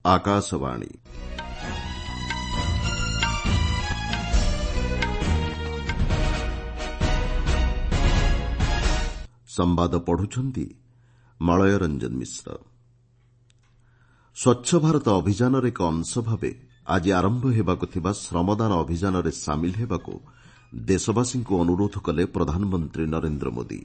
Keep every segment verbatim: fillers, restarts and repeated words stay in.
ଆକାଶବାଣୀ ସମ୍ବାଦ ପଢୁଛନ୍ତି ମଳୟ ରଞ୍ଜନ ମିଶ୍ର। ସ୍ୱଚ୍ଛ ଭାରତ ଅଭିଯାନର ଏକ ଅଂଶ ଭାବେ ଆଜି ଆରମ୍ଭ ହେବାକୁ ଥିବା ଶ୍ରମଦାନ ଅଭିଯାନରେ ସାମିଲ ହେବାକୁ ଦେଶବାସୀଙ୍କୁ ଅନୁରୋଧ କଲେ ପ୍ରଧାନମନ୍ତ୍ରୀ ନରେନ୍ଦ୍ର ମୋଦି।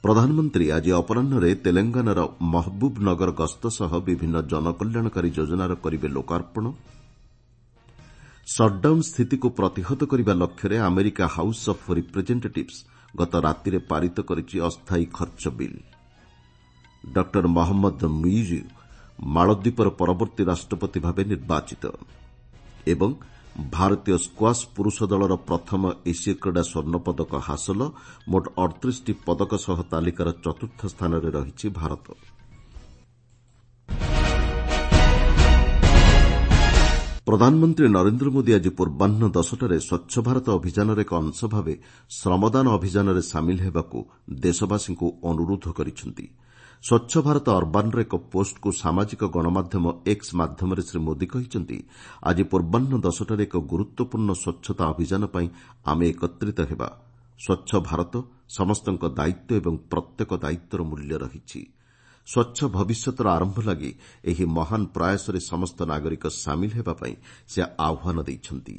ପ୍ରଧାନମନ୍ତ୍ରୀ ଆଜି ଅପରାହ୍ନରେ ତେଲେଙ୍ଗାନାର ମହବୁବନଗର ଗସ୍ତ ସହ ବିଭିନ୍ନ ଜନକଲ୍ୟାଣକାରୀ ଯୋଜନାର କରିବେ ଲୋକାର୍ପଣ। ସଟ୍ଡାଉନ୍ ସ୍ଥିତିକୁ ପ୍ରତିହତ କରିବା ଲକ୍ଷ୍ୟରେ ଆମେରିକା ହାଉସ୍ ଅଫ୍ ରିପ୍ରେଜେଣ୍ଟେଟିଭ୍ସ ଗତ ରାତିରେ ପାରିତ କରିଛି ଅସ୍ଥାୟୀ ଖର୍ଚ୍ଚ ବିଲ୍। ଡକ୍ଟର ମହମ୍ମଦ ମୁଇଜୁ ମାଳଦ୍ୱୀପର ପରବର୍ତ୍ତୀ ରାଷ୍ଟ୍ରପତି ଭାବେ ନିର୍ବାଚିତ ଏବଂ ଭାରତୀୟ ସ୍କ୍ୱାସ୍ ପୁରୁଷ ଦଳର ପ୍ରଥମ ଏସୀୟ କ୍ରୀଡ଼ା ସ୍ୱର୍ଣ୍ଣପଦକ ହାସଲ। ମୋଟ ଅଠତିରିଶଟି ପଦକ ସହ ତାଲିକାର ଚତୁର୍ଥ ସ୍ଥାନରେ ରହିଛି ଭାରତ। ପ୍ରଧାନମନ୍ତ୍ରୀ ନରେନ୍ଦ୍ର ମୋଦି ଆଜି ପୂର୍ବାହ୍ନ ଦଶଟାରେ ସ୍ୱଚ୍ଛ ଭାରତ ଅଭିଯାନର ଏକ ଅଂଶ ଭାବେ ଶ୍ରମଦାନ ଅଭିଯାନରେ ସାମିଲ ହେବାକୁ ଦେଶବାସୀଙ୍କୁ ଅନୁରୋଧ କରିଛନ୍ତି। ସ୍ୱଚ୍ଛ ଭାରତ ଅର୍ବାନ୍ର ଏକ ପୋଷ୍ଟକୁ ସାମାଜିକ ଗଣମାଧ୍ୟମ ଏକ୍ସ ମାଧ୍ୟମରେ ଶ୍ରୀ ମୋଦି କହିଛନ୍ତି, ଆଜି ପୂର୍ବାହ୍ନ ଦଶଟାରେ ଏକ ଗୁରୁତ୍ୱପୂର୍ଣ୍ଣ ସ୍ୱଚ୍ଛତା ଅଭିଯାନ ପାଇଁ ଆମେ ଏକତ୍ରିତ ହେବା। ସ୍ୱଚ୍ଛ ଭାରତ ସମସ୍ତଙ୍କ ଦାୟିତ୍ୱ ଏବଂ ପ୍ରତ୍ୟେକ ଦାୟିତ୍ୱର ମୂଲ୍ୟ ରହିଛି। ସ୍ୱଚ୍ଛ ଭବିଷ୍ୟତର ଆରମ୍ଭ ଲାଗି ଏହି ମହାନ ପ୍ରୟାସରେ ସମସ୍ତ ନାଗରିକ ସାମିଲ ହେବା ପାଇଁ ସେ ଆହ୍ୱାନ ଦେଇଛନ୍ତି।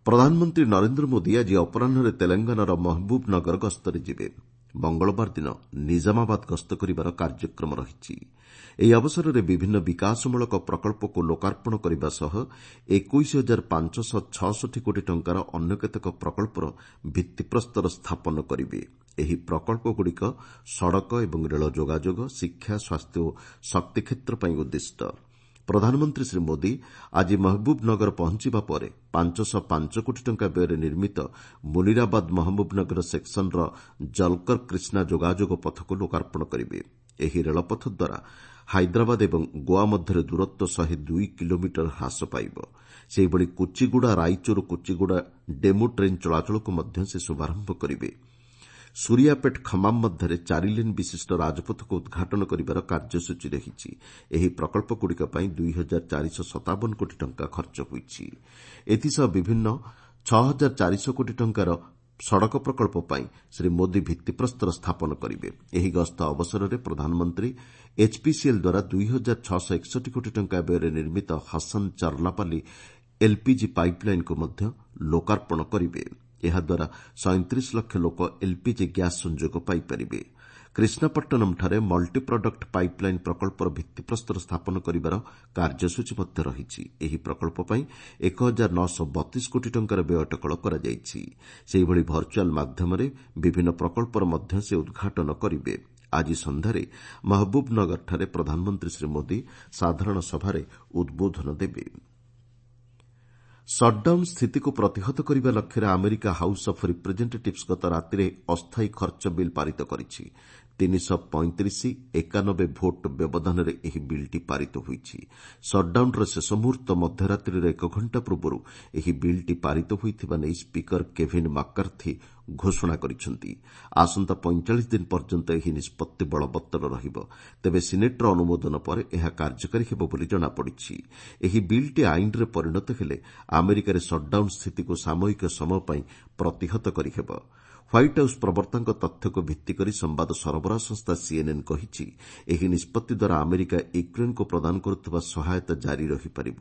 ପ୍ରଧାନମନ୍ତ୍ରୀ ନରେନ୍ଦ୍ର ମୋଦି ଆଜି ଅପରାହ୍ନରେ ତେଲେଙ୍ଗାନାର ମହବୁବନଗର ଗସ୍ତରେ ଯିବେ। ମଙ୍ଗଳବାର ଦିନ ନିଜାମାବାଦ ଗସ୍ତ କରିବାର କାର୍ଯ୍ୟକ୍ରମ ରହିଛି। ଏହି ଅବସରରେ ବିଭିନ୍ନ ବିକାଶମୂଳକ ପ୍ରକଳ୍ପକୁ ଲୋକାର୍ପଣ କରିବା ସହ ଏକୋଇଶ ହଜାର ପାଞ୍ଚଶହ ଛଅଷଠି କୋଟି ଟଙ୍କାର ଅନ୍ୟ କେତେକ ପ୍ରକଳ୍ପର ଭିତ୍ତିପ୍ରସ୍ତର ସ୍ଥାପନ କରିବେ। ଏହି ପ୍ରକଳ୍ପଗୁଡ଼ିକ ସଡ଼କ ଏବଂ ରେଳ ଯୋଗାଯୋଗ, ଶିକ୍ଷା, ସ୍ୱାସ୍ଥ୍ୟ ଓ ଶକ୍ତି କ୍ଷେତ୍ର ପାଇଁ ଉଦ୍ଦିଷ୍ଟ। ପ୍ରଧାନମନ୍ତ୍ରୀ ଶ୍ରୀ ମୋଦି ଆଜି ମହବୁବନଗର ପହଞ୍ଚିବା ପରେ ପାଞ୍ଚଶହ ପାଞ୍ଚ କୋଟି ଟଙ୍କା ବ୍ୟୟରେ ନିର୍ମିତ ମୁନିରାବାଦ ମହବୁବନଗର ସେକ୍ସନର ଜଲକର କ୍ରିଷ୍ଣା ଯୋଗାଯୋଗ ପଥକୁ ଲୋକାର୍ପଣ କରିବେ। ଏହି ରେଳପଥ ଦ୍ୱାରା ହାଇଦ୍ରାବାଦ ଏବଂ ଗୋଆ ମଧ୍ୟରେ ଦୂରତ୍ୱ ଶହେ ଦୁଇ କିଲୋମିଟର ହ୍ରାସ ପାଇବ। ସେହିଭଳି କୁଚିଗୁଡ଼ା ରାଇଚୁର କୁଚିଗୁଡ଼ା ଡେମୁ ଟ୍ରେନ୍ ଚଳାଚଳକୁ ମଧ୍ୟ ସେ ଶୁଭାରମ୍ଭ କରିବେ। ସୁରିଆପେଟ୍ ଖମାମ୍ ମଧ୍ୟରେ ଚାରିଲେନ୍ ବିଶିଷ୍ଟ ରାଜପଥକୁ ଉଦ୍ଘାଟନ କରିବାର କାର୍ଯ୍ୟସୂଚୀ ରହିଛି। ଏହି ପ୍ରକଳ୍ପଗୁଡ଼ିକ ପାଇଁ ଦୁଇ ହଜାର ଚାରିଶହ ସତାବନ କୋଟି ଟଙ୍କା ଖର୍ଚ୍ଚ ହୋଇଛି। ଏଥିସହ ବିଭିନ୍ନ ଛଅ ହଜାର ଚାରିଶହ କୋଟି ଟଙ୍କାର ସଡ଼କ ପ୍ରକଳ୍ପ ପାଇଁ ଶ୍ରୀ ମୋଦି ଭିତ୍ତିପ୍ରସ୍ତର ସ୍ଥାପନ କରିବେ। ଏହି ଗସ୍ତ ଅବସରରେ ପ୍ରଧାନମନ୍ତ୍ରୀ ଏଚ୍ପିସିଏଲ୍ ଦ୍ୱାରା ଦୁଇ ହଜାର ଛଅଶହ ଏକଷଠି କୋଟି ଟଙ୍କା ବ୍ୟୟରେ ନିର୍ମିତ ହସନ୍ ଚର୍ଲାପାଲି ଏଲ୍ପିଜି ପାଇପ୍ଲାଇନ୍କୁ ମଧ୍ୟ ଲୋକାର୍ପଣ କରିବେ। ଏହାଦ୍ୱାରା ସଇଁତିରିଶ ଲକ୍ଷ ଲୋକ ଏଲ୍ପିଜି ଗ୍ୟାସ୍ ସଂଯୋଗ ପାଇପାରିବେ। କ୍ରିଷ୍ଣାପଟ୍ଟନମ୍ଠାରେ ମଲ୍ଟି ପ୍ରଡକ୍ଟ ପାଇପ୍ଲାଇନ୍ ପ୍ରକଳ୍ପର ଭିତ୍ତିପ୍ରସ୍ତର ସ୍ଥାପନ କରିବାର କାର୍ଯ୍ୟସୂଚୀ ମଧ୍ୟ ରହିଛି। ଏହି ପ୍ରକଳ୍ପ ପାଇଁ ଏକ ହଜାର ନଅଶହ ବତିଶ କୋଟି ଟଙ୍କାର ବ୍ୟୟ ଅଟକଳ କରାଯାଇଛି। ସେହିଭଳି ଭର୍ଚୁଆଲ୍ ମାଧ୍ୟମରେ ବିଭିନ୍ନ ପ୍ରକଳ୍ପର ମଧ୍ୟ ସେ ଉଦ୍ଘାଟନ କରିବେ। ଆଜି ସନ୍ଧ୍ୟାରେ ମହବୁବନଗରଠାରେ ପ୍ରଧାନମନ୍ତ୍ରୀ ଶ୍ରୀ ମୋଦି ସାଧାରଣ ସଭାରେ ଉଦ୍ବୋଧନ ଦେବେ। ସଟ୍ଡାଉନ୍ ସ୍ଥିତିକୁ ପ୍ରତିହତ କରିବା ଲକ୍ଷ୍ୟରେ ଆମେରିକା ହାଉସ୍ ଅଫ୍ ରିପ୍ରେଜେଣ୍ଟେଟିଭ୍ସ ଗତ ରାତିରେ ଅସ୍ଥାୟୀ ଖର୍ଚ୍ଚ ବିଲ୍ ପାରିତ କରିଛି। ତିନିଶହ ପଇଁତିରିଶ ଏକାନବେ ଭୋଟ୍ ବ୍ୟବଧାନରେ ଏହି ବିଲ୍ଟି ପାରିତ ହୋଇଛି। ସଟ୍ଡାଉନ୍ର ଶେଷ ମୁହୂର୍ତ୍ତ ମଧ୍ୟରାତ୍ରିର ଏକ ଘଣ୍ଟା ପୂର୍ବରୁ ଏହି ବିଲ୍ଟି ପାରିତ ହୋଇଥିବା ନେଇ ସ୍ପିକର କେଭିନ୍ ମାକ୍କାର୍ଥି ଘୋଷଣା କରିଛନ୍ତି। ଆସନ୍ତା ପଇଁଚାଳିଶ ଦିନ ପର୍ଯ୍ୟନ୍ତ ଏହି ନିଷ୍ପତ୍ତି ବଳବତ୍ତର ରହିବ। ତେବେ ସିନେଟ୍ର ଅନୁମୋଦନ ପରେ ଏହା କାର୍ଯ୍ୟକାରୀ ହେବ ବୋଲି ଜଣାପଡ଼ିଛି। ଏହି ବିଲ୍ଟି ଆଇନରେ ପରିଣତ ହେଲେ ଆମେରିକାରେ ସଟ୍ଡାଉନ୍ ସ୍ଥିତିକୁ ସାମୟିକ ସମୟ ପାଇଁ ପ୍ରତିହତ କରିହେବ। ହ୍ୱାଇଟ୍ ହାଉସ୍ ପ୍ରବକ୍ତାଙ୍କ ତଥ୍ୟକୁ ଭିତ୍ତିକରି ସମ୍ବାଦ ସରବରାହ ସଂସ୍ଥା ସିଏନ୍ଏନ୍ କହିଛି, ଏହି ନିଷ୍ପତ୍ତି ଦ୍ୱାରା ଆମେରିକା ୟୁକ୍ରେନ୍କୁ ପ୍ରଦାନ କରୁଥିବା ସହାୟତା ଜାରି ରହିପାରିବ।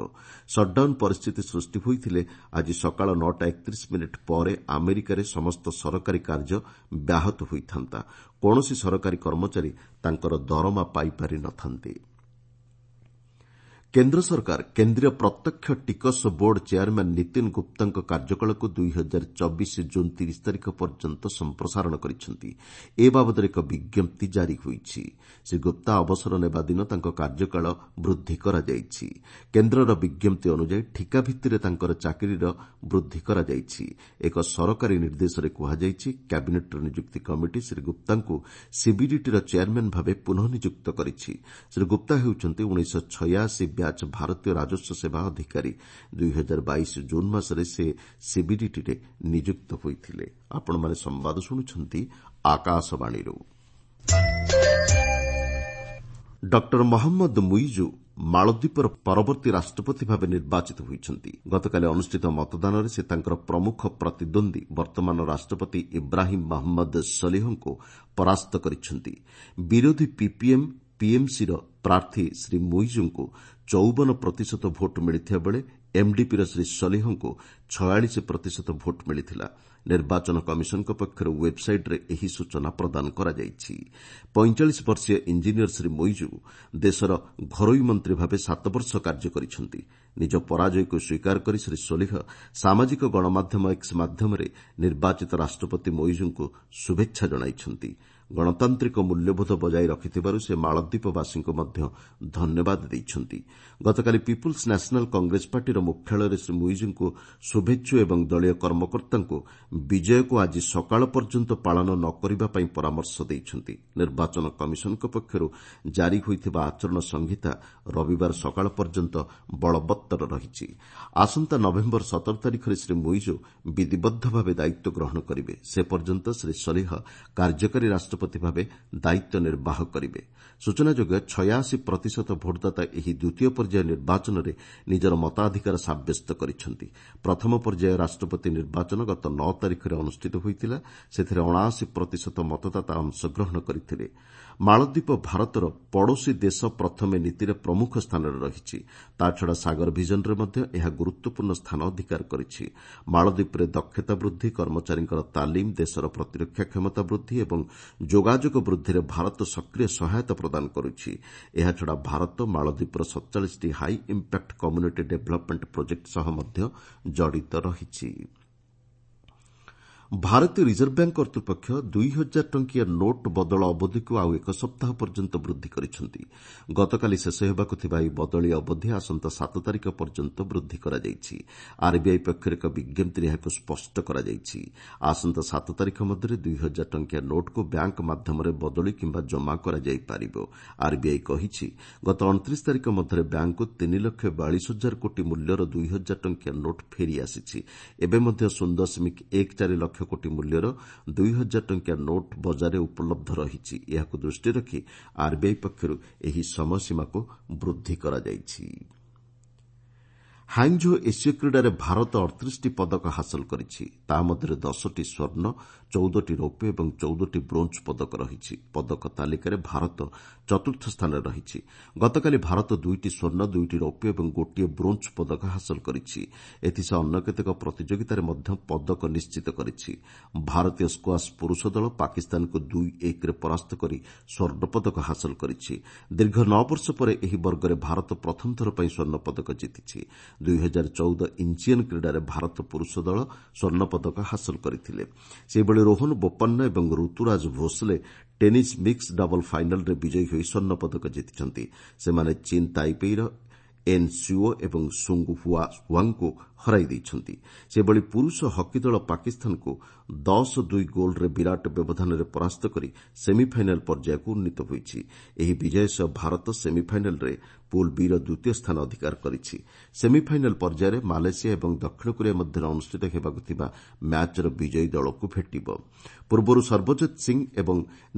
ସଟ୍ଡାଉନ୍ ପରିସ୍ଥିତି ସୃଷ୍ଟି ହୋଇଥିଲେ ଆଜି ସକାଳ ନଅଟା ଏକତିରିଶ ମିନିଟ୍ ପରେ ଆମେରିକାରେ ସମସ୍ତ ସରକାରୀ କାର୍ଯ୍ୟ ବ୍ୟାହତ ହୋଇଥାନ୍ତା। କୌଣସି ସରକାରୀ କର୍ମଚାରୀ ତାଙ୍କର ଦରମା ପାଇପାରି ନ ଥାନ୍ତେ। କେନ୍ଦ୍ର ସରକାର କେନ୍ଦ୍ରୀୟ ପ୍ରତ୍ୟକ୍ଷ ଟିକସ ବୋର୍ଡ ଚେୟାରମ୍ୟାନ୍ ନୀତିନ ଗୁପ୍ତାଙ୍କ କାର୍ଯ୍ୟକାଳକୁ ଦୁଇ ହଜାର ଚବିଶ ଜୁନ୍ ତିରିଶ ତାରିଖ ପର୍ଯ୍ୟନ୍ତ ସମ୍ପ୍ରସାରଣ କରିଛନ୍ତି। ଏ ବାବଦରେ ଏକ ବିଜ୍ଞପ୍ତି ଜାରି ହୋଇଛି। ଶ୍ରୀ ଗୁପ୍ତା ଅବସର ନେବା ଦିନ ତାଙ୍କ କାର୍ଯ୍ୟକାଳ ବୃଦ୍ଧି କରାଯାଇଛି। କେନ୍ଦ୍ରର ବିଜ୍ଞପ୍ତି ଅନୁଯାୟୀ ଠିକା ଭିତ୍ତିରେ ତାଙ୍କର ଚାକିରିର ବୃଦ୍ଧି କରାଯାଇଛି। ଏକ ସରକାରୀ ନିର୍ଦ୍ଦେଶରେ କୁହାଯାଇଛି, କ୍ୟାବିନେଟ୍ର ନିଯୁକ୍ତି କମିଟି ଶ୍ରୀ ଗୁପ୍ତାଙ୍କୁ ସିବିଡିଟିର ଚେୟାରମ୍ୟାନ୍ ଭାବେ ପୁନଃ ନିଯୁକ୍ତ କରିଛି। ଶ୍ରୀ ଗୁପ୍ତା ହେଉଛନ୍ତି ଉଣେଇଶହ ଛୟାଅଶୀ ବ୍ୟାଚ୍ ଭାରତୀୟ ରାଜସ୍ୱ ସେବା ଅଧିକାରୀ। ଦୁଇ ହଜାର ବାଇଶ ଜୁନ୍ ମାସରେ ସେ ସିବିଡିଟିରେ ନିଯୁକ୍ତ ହୋଇଥିଲେ। ଆପଣମାନେ ସମ୍ବାଦ ଶୁଣୁଛନ୍ତି ଆକାଶବାଣୀରୁ। ଡକ୍ଟର ମହମ୍ମଦ ମୁଇଜୁ ମାଳଦ୍ୱୀପର ପରବର୍ତ୍ତୀ ରାଷ୍ଟ୍ରପତି ଭାବେ ନିର୍ବାଚିତ ହୋଇଛନ୍ତି। ଗତକାଲି ଅନୁଷ୍ଠିତ ମତଦାନରେ ସେ ତାଙ୍କର ପ୍ରମୁଖ ପ୍ରତିଦ୍ୱନ୍ଦ୍ୱୀ ବର୍ତ୍ତମାନର ରାଷ୍ଟ୍ରପତି ଇବ୍ରାହିମ୍ ମହମ୍ମଦ ସଲିହଙ୍କୁ ପରାସ୍ତ କରିଛନ୍ତି। ବିରୋଧୀ ପିପିଏମ୍ ପିଏମ୍ସିର ପ୍ରାର୍ଥୀ ଶ୍ରୀ ମୁଇଜୁଙ୍କୁ ଚଉବନ ପ୍ରତିଶତ ଭୋଟ୍ ମିଳିଥିବା ବେଳେ ଏମ୍ଡିପିର ଶ୍ରୀ ସଲିହଙ୍କୁ ଛୟାଳିଶ ପ୍ରତିଶତ ଭୋଟ୍ ମିଳିଥିଲା। ନିର୍ବାଚନ କମିଶନଙ୍କ ପକ୍ଷରୁ ୱେବ୍ସାଇଟ୍ରେ ଏହି ସୂଚନା ପ୍ରଦାନ କରାଯାଇଛି। ପଇଁଚାଳିଶ ବର୍ଷୀୟ ଇଞ୍ଜିନିୟର ଶ୍ରୀ ମୁଇଜୁ ଦେଶର ଘରୋଇ ମନ୍ତ୍ରୀ ଭାବେ ସାତ ବର୍ଷ କାର୍ଯ୍ୟ କରିଛନ୍ତି। ନିଜ ପରାଜୟକୁ ସ୍ୱୀକାର କରି ଶ୍ରୀ ସୋଲିହ ସାମାଜିକ ଗଣମାଧ୍ୟମ ଏକ୍ସ ମାଧ୍ୟମରେ ନିର୍ବାଚିତ ରାଷ୍ଟ୍ରପତି ମୁଇଜୁଙ୍କୁ ଶୁଭେଚ୍ଛା ଜଣାଇଛନ୍ତି। ଗଣତାନ୍ତ୍ରିକ ମୂଲ୍ୟବୋଧ ବଜାୟ ରଖିଥିବାରୁ ସେ ମାଳଦ୍ୱୀପବାସୀଙ୍କୁ ମଧ୍ୟ ଧନ୍ୟବାଦ ଦେଇଛନ୍ତି। ଗତକାଲି ପିପୁଲ୍ସ ନ୍ୟାସନାଲ୍ କଂଗ୍ରେସ ପାର୍ଟିର ମୁଖ୍ୟାଳୟରେ ଶ୍ରୀ ମୁଇଜୁଙ୍କୁ ଶୁଭେଚ୍ଛୁ ଏବଂ ଦଳୀୟ କର୍ମକର୍ତ୍ତାଙ୍କୁ ବିଜୟକୁ ଆଜି ସକାଳ ପର୍ଯ୍ୟନ୍ତ ପାଳନ ନ କରିବା ପାଇଁ ପରାମର୍ଶ ଦେଇଛନ୍ତି। ନିର୍ବାଚନ କମିଶନଙ୍କ ପକ୍ଷରୁ ଜାରି ହୋଇଥିବା ଆଚରଣ ସଂହିତା ରବିବାର ସକାଳ ପର୍ଯ୍ୟନ୍ତ ବଳବତ୍ତର ରହିଛି। ଆସନ୍ତା ନଭେମ୍ବର ସତର ତାରିଖରେ ଶ୍ରୀ ମୁଇଜୁ ବିଧିବଦ୍ଧ ଭାବେ ଦାୟିତ୍ୱ ଗ୍ରହଣ କରିବେ। ସେ ପର୍ଯ୍ୟନ୍ତ ଶ୍ରୀ ସଲିହ କାର୍ଯ୍ୟକାରୀ ରାଷ୍ଟ୍ରପତି ଭାବେ ଦାୟିତ୍ୱ ନିର୍ବାହ କରିବେ। ସୂଚନାଯୋଗ୍ୟ, ଛୟାଅଶୀ ପ୍ରତିଶତ ଭୋଟଦାତା ଏହି ଦ୍ୱିତୀୟ ପର୍ଯ୍ୟାୟ ନିର୍ବାଚନରେ ନିଜର ମତାଧିକାର ସାବ୍ୟସ୍ତ କରିଛନ୍ତି। ପ୍ରଥମ ପର୍ଯ୍ୟାୟ ରାଷ୍ଟ୍ରପତି ନିର୍ବାଚନ ଗତ ନଅ ତାରିଖରେ ଅନୁଷ୍ଠିତ ହୋଇଥିଲା। ସେଥିରେ ଅଣାଅଶୀ ପ୍ରତିଶତ ମତଦାତା ଅଂଶଗ୍ରହଣ କରିଥିଲେ। ମାଳଦ୍ୱୀପ ଭାରତର ପଡ଼ୋଶୀ ଦେଶ ପ୍ରଥମେ ନୀତିରେ ପ୍ରମୁଖ ସ୍ଥାନରେ ରହିଛି। ତାଛଡ଼ା ସାଗର ଭିଜନରେ ମଧ୍ୟ ଏହା ଗୁରୁତ୍ୱପୂର୍ଣ୍ଣ ସ୍ଥାନ ଅଧିକାର କରିଛି। ମାଳଦ୍ୱୀପରେ ଦକ୍ଷତା ବୃଦ୍ଧି, କର୍ମଚାରୀଙ୍କର ତାଲିମ, ଦେଶର ପ୍ରତିରକ୍ଷା କ୍ଷମତା ବୃଦ୍ଧି ଏବଂ ଯୋଗାଯୋଗ ବୃଦ୍ଧିରେ ଭାରତ ସକ୍ରିୟ ସହାୟତା ପ୍ରଦାନ କରୁଛି। ଏହାଛଡ଼ା ଭାରତ ମାଳଦ୍ୱୀପର ସତଚାଳିଶଟି high impact community development project ସହ ମଧ୍ୟ ଜଡ଼ିତ ରହିଛି। ଭାରତୀୟ ରିଜର୍ଭ ବ୍ୟାଙ୍କ କର୍ତ୍ତୃପକ୍ଷ ଦୁଇ ହଜାର ଟଙ୍କିଆ ନୋଟ୍ ବଦଳ ଅବଧିକୁ ଆଉ ଏକ ସପ୍ତାହ ପର୍ଯ୍ୟନ୍ତ ବୃଦ୍ଧି କରିଛନ୍ତି। ଗତକାଲି ଶେଷ ହେବାକୁ ଥିବା ଏହି ବଦଳି ଅବଧି ଆସନ୍ତା ସାତ ତାରିଖ ପର୍ଯ୍ୟନ୍ତ ବୃଦ୍ଧି କରାଯାଇଛି। ଆର୍ବିଆଇ ପକ୍ଷରୁ ଏକ ବିଜ୍ଞପ୍ତିରେ ଏହାକୁ ସ୍ପଷ୍ଟ କରାଯାଇଛି। ଆସନ୍ତା ସାତ ତାରିଖ ମଧ୍ୟରେ ଦୁଇ ହଜାର ଟଙ୍କିଆ ନୋଟ୍କୁ ବ୍ୟାଙ୍କ ମାଧ୍ୟମରେ ବଦଳି କିମ୍ବା ଜମା କରାଯାଇପାରିବ। ଆର୍ବିଆଇ କହିଛି, ଗତ ଅଣତିରିଶ ତାରିଖ ମଧ୍ୟରେ ବ୍ୟାଙ୍କକୁ ତିନି ଲକ୍ଷ ବୟାଳିଶ ହଜାର କୋଟି ମୂଲ୍ୟର ଦୁଇ ହଜାର ଟଙ୍କିଆ ନୋଟ୍ ଫେରିଆସିଛି। ଏବେ ମଧ୍ୟ ଶୂନ ଦଶମିକ ଏକ ଚାରି ଲକ୍ଷ କୋଟି ମୂଲ୍ୟର ଦୁଇ ହଜାର ଟଙ୍କିଆ ନୋଟ୍ ବଜାରରେ ଉପଲବ୍ଧ ରହିଛି। ଏହାକୁ ଦୃଷ୍ଟିରେ ରଖି ଆର୍ବିଆଇ ପକ୍ଷରୁ ଏହି ସମୟସୀମାକୁ ବୃଦ୍ଧି କରାଯାଇଛି। ହାଙ୍ଗଝୋ ଏସୀୟ କ୍ରୀଡ଼ାରେ ଭାରତ ଅଠତିରିଶଟି ପଦକ ହାସଲ କରିଛି। ତା ମଧ୍ୟରେ ଦଶଟି ସ୍ୱର୍ଣ୍ଣ, ଚଉଦଟି ରୌପ୍ୟ ଏବଂ ଚଉଦଟି ବ୍ରୋଞ୍ଜ ପଦକ ରହିଛି। ପଦକ ତାଲିକାରେ ଭାରତ ଚତୁର୍ଥ ସ୍ଥାନରେ ରହିଛି। ଗତକାଲି ଭାରତ ଦୁଇଟି ସ୍ୱର୍ଣ୍ଣ, ଦୁଇଟି ରୌପ୍ୟ ଏବଂ ଗୋଟିଏ ବ୍ରୋଞ୍ଜ ପଦକ ହାସଲ କରିଛି। ଏଥିସହ ଅନ୍ୟ କେତେକ ପ୍ରତିଯୋଗିତାରେ ମଧ୍ୟ ପଦକ ନିଶ୍ଚିତ କରିଛି। ଭାରତୀୟ ସ୍କ୍ୱାସ୍ ପୁରୁଷ ଦଳ ପାକିସ୍ତାନକୁ ଦୁଇ ଏକରେ ପରାସ୍ତ କରି ସ୍ୱର୍ଣ୍ଣ ପଦକ ହାସଲ କରିଛି। ଦୀର୍ଘ ନଅ ବର୍ଷ ପରେ ଏହି ବର୍ଗରେ ଭାରତ ପ୍ରଥମ ଥର ପାଇଁ ସ୍ୱର୍ଣ୍ଣ ପଦକ ଜିତିଛି। ଦୁଇ ହଜାର ଚଉଦ ଇଞ୍ଚିଅନ୍ କ୍ରୀଡ଼ାରେ ଭାରତ ପୁରୁଷ ଦଳ ସ୍ୱର୍ଣ୍ଣ ପଦକ ହାସଲ କରିଥିଲେ। ସେହିଭଳି ରୋହନ ବୋପନ୍ନା ଏବଂ Ruturaj Bhosle tennis mix double ଫାଇନାଲ୍ରେ ବିଜୟୀ ହୋଇ ସ୍ୱର୍ଣ୍ଣ ପଦକ ଜିତିଛନ୍ତି। ସେମାନେ ଚୀନ୍ ତାଇପେଇର ଏନ୍ ସିଓ ଏବଂ ସୁଙ୍ଗ ହୁଆ ହୁଆଙ୍ଗଙ୍କୁ ହରାଇ ଦେଇଛନ୍ତି। ସେହିଭଳି ପୁରୁଷ ହକି ଦଳ ପାକିସ୍ତାନକୁ ଦଶ ଦୁଇ ଗୋଲ୍ରେ ବିରାଟ ବ୍ୟବଧାନରେ ପରାସ୍ତ କରି ସେମିଫାଇନାଲ୍ ପର୍ଯ୍ୟାୟକୁ ଉନ୍ନୀତ ହୋଇଛି। ଏହି ବିଜୟ ସହ ଭାରତ ସେମିଫାଇନାଲ୍ରେ ପୁଲ୍ ବି'ର ଦ୍ୱିତୀୟ ସ୍ଥାନ ଅଧିକାର କରିଛି। ସେମିଫାଇନାଲ୍ ପର୍ଯ୍ୟାୟରେ ମାଲେସିଆ ଏବଂ ଦକ୍ଷିଣ କୋରିଆ ମଧ୍ୟରେ ଅନୁଷ୍ଠିତ ହେବାକୁ ଥିବା ମ୍ୟାଚ୍ର ବିଜୟୀ ଦଳକୁ ଭେଟିବ। ପୂର୍ବରୁ ସର୍ବଜୋତ ସିଂ ଏବଂ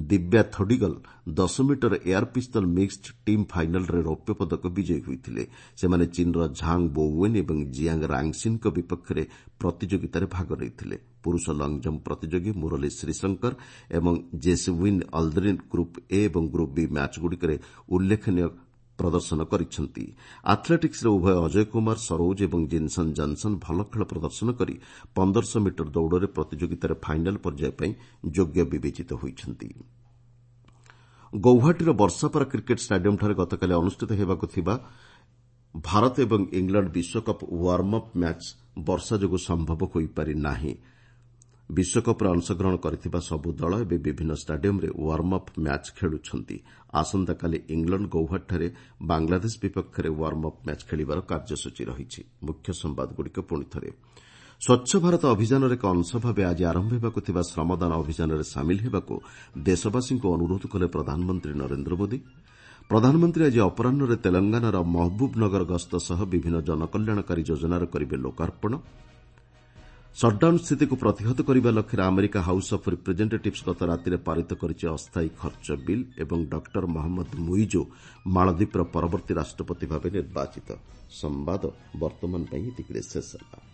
ଦିବ୍ୟା ଥୋଡିଗଲ ଦଶ metre air pistol mixed team ଫାଇନାଲ୍ରେ ରୌପ୍ୟ ପଦକ ବିଜୟୀ ହୋଇଥିଲେ। ସେମାନେ ଚୀନ୍ର ଝାଙ୍ଗ ବୋୱେନ୍ ଏବଂ ଜିଆଙ୍ଗ ରାଙ୍ଗସିନ୍ଙ୍କ ବିପକ୍ଷରେ ପ୍ରତିଯୋଗିତାରେ ଭାଗ ନେଇଥିଲେ। ପୁରୁଷ ଲଙ୍ଗଜମ୍ପ ପ୍ରତିଯୋଗୀ ମୁରଲୀ ଶ୍ରୀଶଙ୍କର ଏବଂ ଜେସୱିନ୍ ଅଲ୍ଡ୍ରିନ୍ ଗ୍ରୁପ୍ ଏ ଏବଂ ଗ୍ରୁପ୍ ବି ମ୍ୟାଚ୍ଗୁଡ଼ିକରେ ଉଲ୍ଲେଖନୀୟ ପ୍ରଦର୍ଶନ କରିଛନ୍ତି। ଆଥ୍ଲେଟିକ୍ସରେ ଉଭୟ ଅଜୟ କୁମାର ସରୋଜ ଏବଂ ଜିନ୍ସନ୍ ଜନ୍ସନ୍ ଭଲ ଖେଳ ପ୍ରଦର୍ଶନ କରି ପନ୍ଦରଶହ ମିଟର ଦୌଡ଼ରେ ପ୍ରତିଯୋଗିତାରେ ଫାଇନାଲ୍ ପର୍ଯ୍ୟାୟ ପାଇଁ ଯୋଗ୍ୟ ବିବେଚିତ ହୋଇଛନ୍ତି। ଗୌହାଟୀର ବର୍ଷାପାରା କ୍ରିକେଟ୍ ଷ୍ଟାଡିୟମ୍ଠାରେ ଗତକାଲି ଅନୁଷ୍ଠିତ ହେବାକୁ ଥିବା ଭାରତ ଏବଂ ଇଂଲଣ୍ଡ ବିଶ୍ୱକପ୍ ୱାର୍ମ ଅପ୍ ମ୍ୟାଚ୍ ବର୍ଷା ଯୋଗୁଁ ସମ୍ଭବ ହୋଇପାରି ନାହିଁ। ବିଶ୍ୱକପ୍ରେ ଅଂଶଗ୍ରହଣ କରିଥିବା ସବୁ ଦଳ ଏବେ ବିଭିନ୍ନ ଷ୍ଟାଡିୟମ୍ରେ ୱାର୍ମ ଅପ୍ ମ୍ୟାଚ୍ ଖେଳୁଛନ୍ତି। ଆସନ୍ତାକାଲି ଇଂଲଣ୍ଡ ଗୌହାଟୀଠାରେ ବାଂଲାଦେଶ ବିପକ୍ଷରେ ୱାର୍ମ ଅପ୍ ମ୍ୟାଚ୍ ଖେଳିବାର କାର୍ଯ୍ୟସୂଚୀ ରହିଛି। ମୁଖ୍ୟ ସମ୍ବାଦଗୁଡ଼ିକ ପୁଣିଥରେ, ସ୍ୱଚ୍ଛ ଭାରତ ଅଭିଯାନର ଏକ ଅଂଶ ଭାବେ ଆଜି ଆରମ୍ଭ ହେବାକୁ ଥିବା ଶ୍ରମଦାନ ଅଭିଯାନରେ ସାମିଲ ହେବାକୁ ଦେଶବାସୀଙ୍କୁ ଅନୁରୋଧ କଲେ ପ୍ରଧାନମନ୍ତ୍ରୀ ନରେନ୍ଦ୍ର ମୋଦି। ପ୍ରଧାନମନ୍ତ୍ରୀ ଆଜି ଅପରାହ୍ନରେ ତେଲଙ୍ଗାନାର ମହବୁବନଗର ଗସ୍ତ ସହ ବିଭିନ୍ନ ଜନକଲ୍ୟାଣକାରୀ ଯୋଜନାର କରିବେ ଲୋକାର୍ପଣ। ସଟ୍ଡାଉନ୍ ସ୍ଥିତିକୁ ପ୍ରତିହତ କରିବା ଲକ୍ଷ୍ୟରେ ଆମେରିକା ହାଉସ୍ ଅଫ୍ ରିପ୍ରେଜେଣ୍ଟେଟିଭ୍ସ ଗତ ରାତିରେ ପାରିତ କରିଛି ଅସ୍ଥାୟୀ ଖର୍ଚ୍ଚ ବିଲ୍ ଏବଂ ଡକ୍ଟର ମହମ୍ମଦ ମୁଇଜୋ ମାଳଦ୍ୱୀପର ପରବର୍ତ୍ତୀ ରାଷ୍ଟ୍ରପତି ଭାବେ ନିର୍ବାଚିତ। ସମ୍ବାଦ ବର୍ତ୍ତମାନ ପାଇଁ ଏତିକିରେ ଶେଷ ହେଲା।